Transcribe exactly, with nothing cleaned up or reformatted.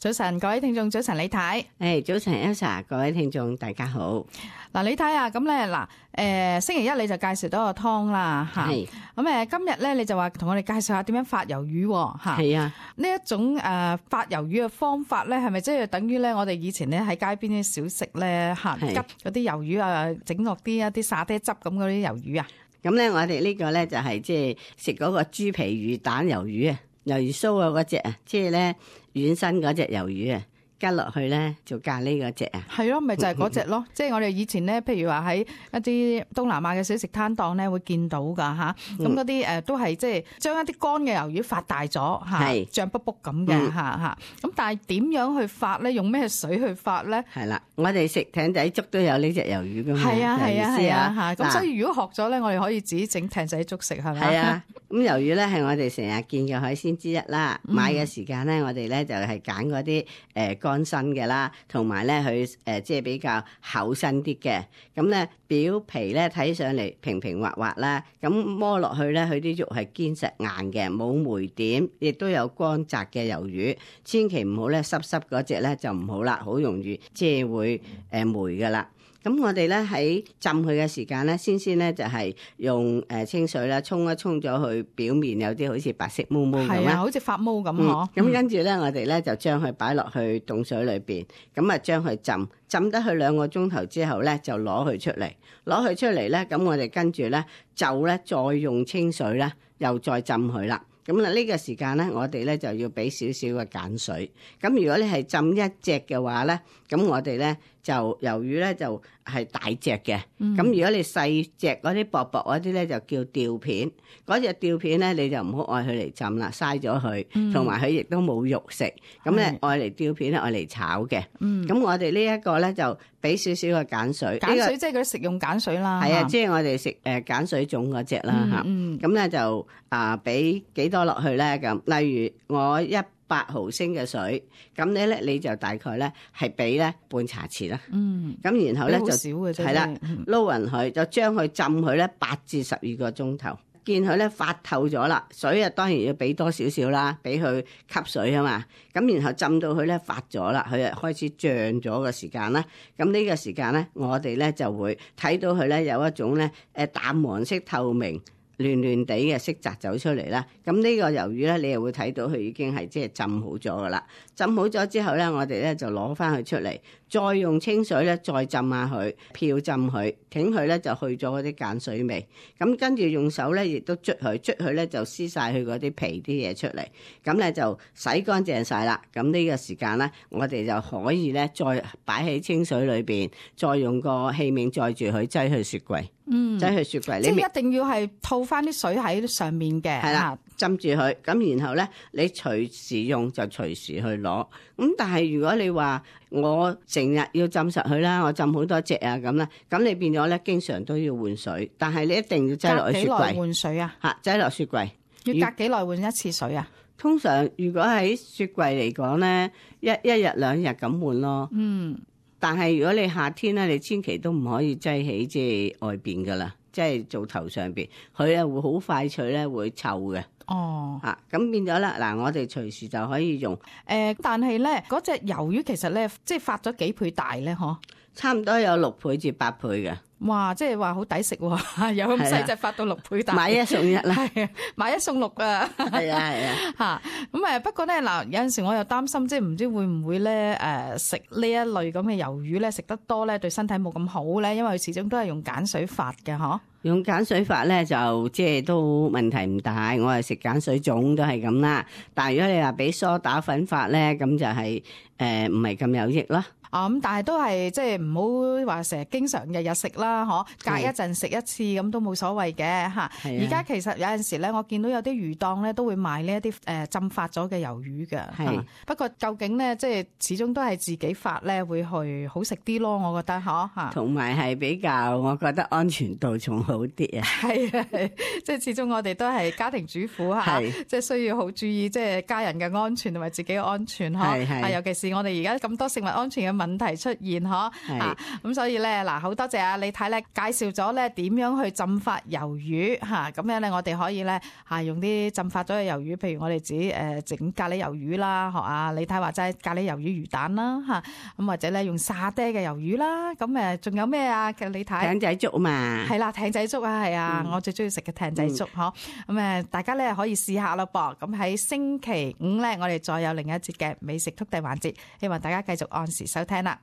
早晨，各位聽眾，早晨李太。誒，早晨 Elsa，各位聽眾大家好。嗱，李太啊，咁咧嗱，誒星期一你就介紹到個湯啦嚇，咁誒今日咧你就話同我哋介紹下點樣發魷魚嚇。係啊，呢一種誒發魷魚嘅方法咧，係咪即係等於咧我哋以前咧喺街邊啲小食咧嚇，急嗰啲魷魚啊，整落啲一啲沙爹汁咁嗰啲魷魚啊？咁咧，我哋呢個咧就係即係食嗰個豬皮魚蛋魷魚啊，魷魚鬚啊嗰隻啊，即係咧軟身嗰隻魷魚啊。加落去咧就咖喱嗰隻啊，係咯，咪就係嗰隻咯。即係我哋以前咧，譬如話喺一啲東南亞嘅小食攤檔咧，會見到噶嚇。咁嗰啲誒都係即係將一啲乾嘅魷魚發大咗嚇，脹卜卜咁嘅嚇嚇。咁但係點樣去發咧？用咩水去發咧？係啦，我哋食艇仔粥都有呢隻魷魚噶嘛。係啊係啊係啊嚇。咁所以如果學咗咧，我哋可以自己整艇仔粥食係咪？係啊。咁魷魚咧係我哋成日見嘅海鮮之一啦。買嘅時間咧，我哋咧就係揀嗰啲誒乾身嘅啦，同埋咧佢誒即係比較厚身啲嘅。咁咧表皮咧睇上嚟平平滑滑啦，咁摸落去咧佢啲肉係堅實硬嘅，冇霉點，亦都有乾澤嘅魷魚。千祈唔好咧濕濕嗰隻咧就唔好啦，好容易即係會誒霉噶啦。咁我哋咧喺浸佢嘅時間咧，先先咧就係用誒清水啦，沖一沖咗佢表面有啲好似白色毛毛咁啊，好似發毛咁嗬。咁跟住咧，我哋咧就將佢擺落去凍水裏邊，咁啊將佢浸浸得佢兩個鐘頭之後咧，就攞佢出嚟，攞佢出嚟咧，咁我哋跟住咧就咧再用清水咧，又再浸佢啦。咁啦，呢個時間咧，我哋咧就要俾少少嘅鹼水。咁如果你係浸一隻嘅話咧，咁我哋咧就魷魚咧就係大隻嘅。咁、嗯、如果你細隻嗰啲薄薄嗰啲咧，就叫吊片。嗰隻吊片咧，你就唔好愛佢嚟浸啦，嘥咗佢，同埋佢亦都冇肉食。咁咧愛嚟吊片咧，愛嚟炒嘅。咁、嗯、我哋呢一個咧就俾少少嘅鹼水。鹼水即係嗰啲食用鹼水啦。係啊，即係我哋食誒鹼水粽嗰隻啦嚇。咁咧就啊俾幾多落去咧咁？例如我一百毫升嘅水，咁你咧你就大概咧係俾咧半茶匙啦。嗯，咁然後咧就係啦，撈勻佢，就將佢浸佢咧八至十二個鐘頭。見佢咧發透咗啦，水啊當然要俾多少少啦，俾佢吸水啊嘛。咁然後浸到佢咧發咗啦，佢啊開始漲咗嘅時間啦。咁呢個時間咧，我哋咧就會睇到佢咧有一種咧誒淡黃色透明亂亂地嘅色澤走出嚟啦。咁呢個魷魚咧，你又會睇到佢已經係即係浸好咗噶啦。浸好咗之後咧，我哋咧就攞翻佢出嚟，再用清水咧再浸下佢，漂浸佢，挺佢咧就去咗嗰啲鹼水味。咁跟住用手咧亦都捽佢，捽佢咧就撕晒佢嗰啲皮啲嘢出嚟。咁咧就洗乾淨晒啦。咁呢個時間咧，我哋就可以咧再擺喺清水裏邊，再用個器皿載住佢，擠去雪櫃。嗯，擠去雪櫃。即係一定要係套翻啲水喺上面嘅。係啦，浸住佢。咁然後咧，你隨時用就隨時去攞。咁但係如果你話我成日要浸實佢啦，我浸好多隻啊咁啦，咁你變咗咧，經常都要換水。但係你一定要擠落去雪櫃。隔幾耐換水啊？嚇，擠落雪櫃。要隔幾耐換一次水啊？通常如果喺雪櫃嚟講咧，一一日兩日咁換咯。嗯。但係如果你夏天咧，你千祈都唔可以擠喺即係外邊噶啦，即係做頭上邊，佢啊會好快脆咧，會臭嘅。哦，啊，咁變咗啦，嗱，我哋隨時就可以用。誒、呃，但係咧，嗰隻魷魚其實咧，即係發咗幾倍大咧，嗬？差唔多有六倍至八倍嘅。哇！即係話好抵食喎，有咁細隻發到六倍大，買一送一啦，買一送六啊！係啊係啊嚇咁誒。不過咧嗱，有陣時我又擔心，即係唔知會唔會咧誒食呢一類咁嘅魷魚咧，食得多咧對身體冇咁好咧，因為佢始終都係用鹼水發嘅嗬。用鹼水發咧就即係都問題唔大，我係食鹼水粽都係咁啦。但係如果你話俾梳打粉發咧，咁就係誒唔係咁有益啦。啊咁，但係都係即係唔好話成日經常日日食啦，嗬，隔一陣食一次咁都冇所謂嘅嚇。而家其實有陣時咧，我見到有啲魚檔咧都會賣呢一啲誒浸發咗嘅魷魚嘅。係，不過究竟咧即係始終都係自己發咧會去好食啲咯，我覺得嗬嚇。同埋係比較，我覺得安全度仲好啲啊。係啊，即係始終我哋都係家庭主婦嚇，即係需要好注意即係家人嘅安全同埋自己嘅安全嗬。係係。尤其是我哋而家咁多食物安全嘅問題出現嗬。啊，咁所以咧嗱，好多謝啊李太咧介紹咗咧點樣去浸發魷魚嚇，咁樣咧我哋可以咧嚇用啲浸發咗嘅魷魚，譬如我哋自己誒整咖喱魷魚啦，學啊李太話齋咖喱魷魚魚蛋啦嚇，咁或者咧用沙爹嘅魷魚啦，咁誒仲有咩啊？李太艇仔粥嘛，係啦，艇仔粥啊，係啊，我最中意食嘅艇仔粥嗬。咁誒，大家咧可以試下咯噃。咁喺星期五咧，我哋再有另一節嘅美食速遞環節，希望大家繼續按時收聽啦。